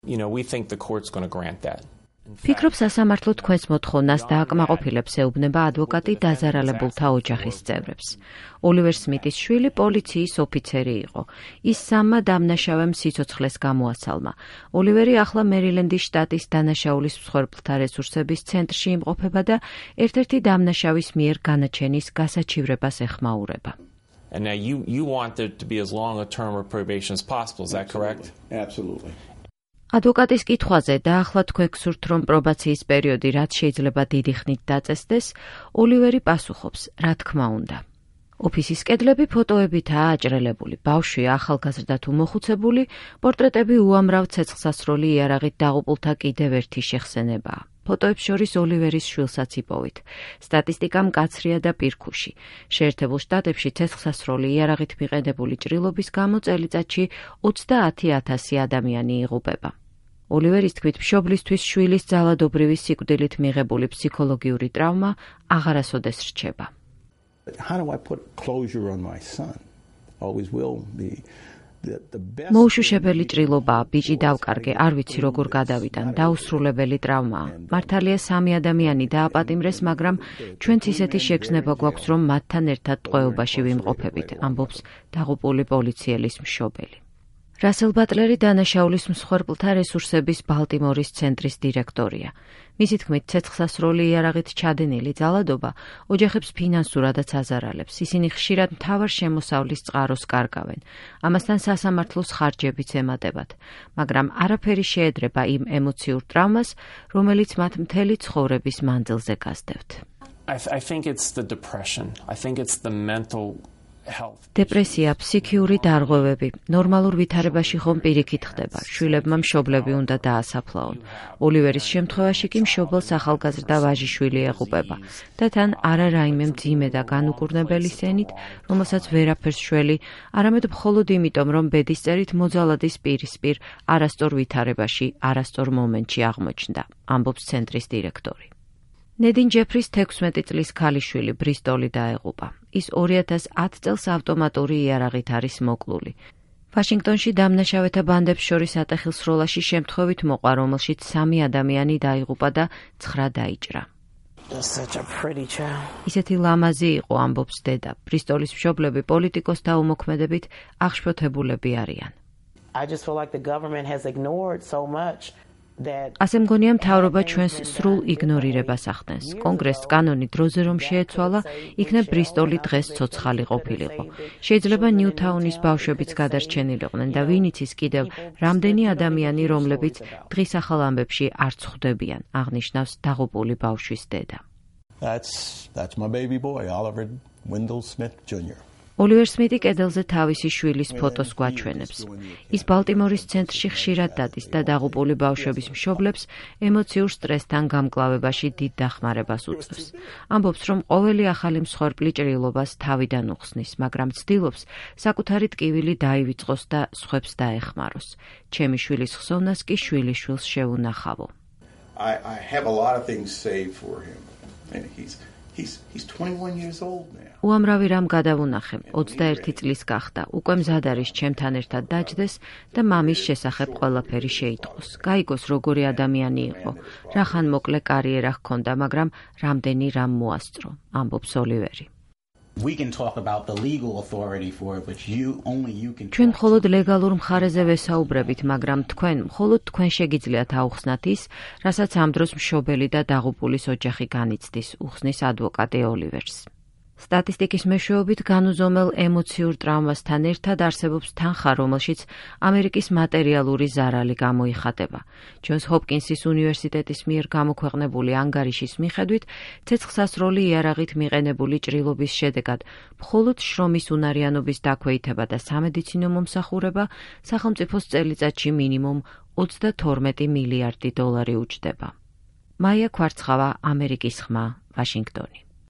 We think the court's going to grant that. ფიქრობ სასამართლო თქვენს მოთხოვნას დააკმაყოფილებს ეუბნება ადვოკატი დაზარალებულთა ოჯახის წევრებს. ოლივერ სმიტის შვილი პოლიციის ოფიცერი იყო. ის სამმა დამნაშავემ სიცოცხლეს გამოასალმა. ოლივერი ახლა მერილენდის შტატის დანაშაულის მსხვერპლთა რესურსების centrში იმყოფება და ერთ-ერთი დამნაშავის მიერ განაჩენის გასაჩივრებას ეხმაურება. And now you want there to be as long a term of probation as possible, is that correct? Absolutely. ადვოკატის კითხვაზე და ახლა თქვენ გსურთ რომ პრობაციის პერიოდი რაც შეიძლება დიდი ხნით დაწესდეს, ოლივერი პასუხობს, რა თქმა უნდა. ოფისის კედლები ფოტოებითაა აჭრელებული, ბავშვი ახალგაზრდა თუ მოხუცებული, პორტრეტები უამრავ ცეცხლსასროლი იარაღით დაღუპულთა კიდევ ერთი შეხსენებაა. ფოტოებს შორის ოლივერის შვილსაც იპოვით. სტატისტიკა მკაცრია და პირქუში. შეერთებულ შტატებში ცეცხლსასროლი იარაღით მიყენებული ჭრილობის გამო წელიწადში 30,000 ადამიანი იღუპება. ოლივერის თქმით, მშობლისთვის შვილის ძალადობრივი სიკვდილით მიღებული ფსიქოლოგიური ტრავმა აღარასოდეს რჩება. How do I put closure on my son? Always will be the best. მოუშუშებელი ჭრილობაა, ბიჭი დავკარგე, არ ვიცი როგორ გადავიტან, დაუსრულებელი ტრავმაა. მართალია სამი ადამიანი დააპატიმრეს, მაგრამ ჩვენც ისეთი შეგრძნება გვაქვს, რომ მათთან ერთად ტყვეობაში ვიმყოფებით, ამბობს დაღუპული პოლიციელის მშობელი. რასელ ბატლერი დანაშაულის მსხვერპლთა რესურსების ბალტიმორის ცენტრის დირექტორია. მისი თქმით, ცეცხლსასროლი იარაღით ჩადენილი ძალადობა ოჯახებს ფინანსურადაც აზარალებს. ისინი ხშირად მთავარ შემოსავლის წყაროს კარგავენ. ამასთან სასამართლოს ხარჯებიც ემატებათ. მაგრამ არაფერი შეედრება იმ ემოციურ ტრავმას, რომელიც მათ მთელი ცხოვრების მანძილზე გასდევთ. I think it's the depression. I think it's the mental health. დეპრესია, ფსიქიური დარღვევები, ნორმალურ ვითარებაში ხომ პირიქით ხდება. შვილებმა მშობლები უნდა დაასაფლაონ. ოლივერის შემთხვევაში კი მშობელს ახალგაზრდა ვაჟიშვილი ეღუპება და თან არა რაიმე მძიმე და განუკურნებელი სენით, რომელსაც ვერაფერს შველი, არამედ მხოლოდ იმიტომ, რომ ბედისწერით მოძალადის პირისპირ არასწორ ვითარებაში, არასწორ მომენტში აღმოჩნდა, ამბობს ცენტრის დირექტორი. ნედინ ჯეფრის 16 წლის ქალიშვილი ბრისტოლი დაეღუპა. ის 2010 წელს ავტომატური იარაღით არის მოკლული. ვაშინგტონში დამნაშავეთა ბანდებს შორის ატეხილსროლაში შემთხვევით მოყვა, რომელშიც 3 ადამიანი დაიღუპა და 9 დაიჭრა. ისეთი ლამაზი იყო, ამბობს დედა. ბრისტოლის მშობლები პოლიტიკოსთა უმოქმედებით აღშფოთებულები არიან. I just feel like the government has ignored so much. ასე მგონია მთავრობა ჩვენს სრულ იგნორირებას ახდენს. კონგრესს კანონი დროზე რომ შეეცვალა, იქნებ ბრისტოლი დღეს ცოცხალი ყოფილიყო. შეიძლება ნიუთაუნის ბავშვებიც გადარჩენილიყვნენ და ვინ იცის კიდევ რამდენი ადამიანი, რომლებიც დღის ახალ ამბებში არ წხვდებიან, აღნიშნავს დაღუპული ბავშვის დედა. That's my baby boy, Oliver Wendell Smith Jr. ოლივერ სმიტი კედელზე თავისი შვილის ფოტოს გვაჩვენებს. ის ბალტიმორის ცენტრში ხშირად დადის და დაღუპული ბავშვების მშობლებს ემოციურ სტრესთან გამკლავებაში დიდ დახმარებას უწევს. ამბობს, რომ ყოველი ახალი მსხვერპლი ჭრილობას თავიდან უხსნის, მაგრამ ცდილობს საკუთარი ტკივილი დაივიწყოს და სხვებს დაეხმაროს. ჩემი შვილის ხსოვნას კი შვილიშვილს შევუნახავო. I have a lot of things saved for him. And he's 21 years old now. უამრავი რამ გადავუნახე, 21 წლის გახდა, უკვე მზად არის ჩემთან ერთად დაჯდეს და მამის შესახებ ყველაფერი შეიტყოს. გაიგოს როგორი ადამიანი იყო, რახან მოკლე კარიერა ჰქონდა, მაგრამ რამდენი რამ მოასწრო, ამბობს ოლივერი. ჩვენ მხოლოდ ლეგალურ მხარეზე ვესაუბრებით, მაგრამ მხოლოდ თქვენ შეგიძლიათ აუხსნათ ის, რასაც ამ დროს მშობელი და დაღუპულის ოჯახი განიცდის, უხსნის ადვოკატი ოლივერს. სტატისტიკის მეშვეობით განუზომელ ემოციურ ტრავმასთან ერთად არსებობს თანხა, რომელშიც ამერიკის მატერიალური ზარალი გამოიხატება. ჯონს ჰოპკინსის უნივერსიტეტის მიერ გამოქვეყნებული ანგარიშის მიხედვით, ცეცხლსასროლი იარაღით მიყენებული ჭრილობის შედეგად მხოლოდ შრომის უნარიანობის დაქვეითება და სამედიცინო მომსახურება სახელმწიფოს წელიწადში მინიმუმ 32 მილიარდი დოლარი უჯდება. მაია ქვარცხავა, ამერიკის ხმა, ვაშინგტონი.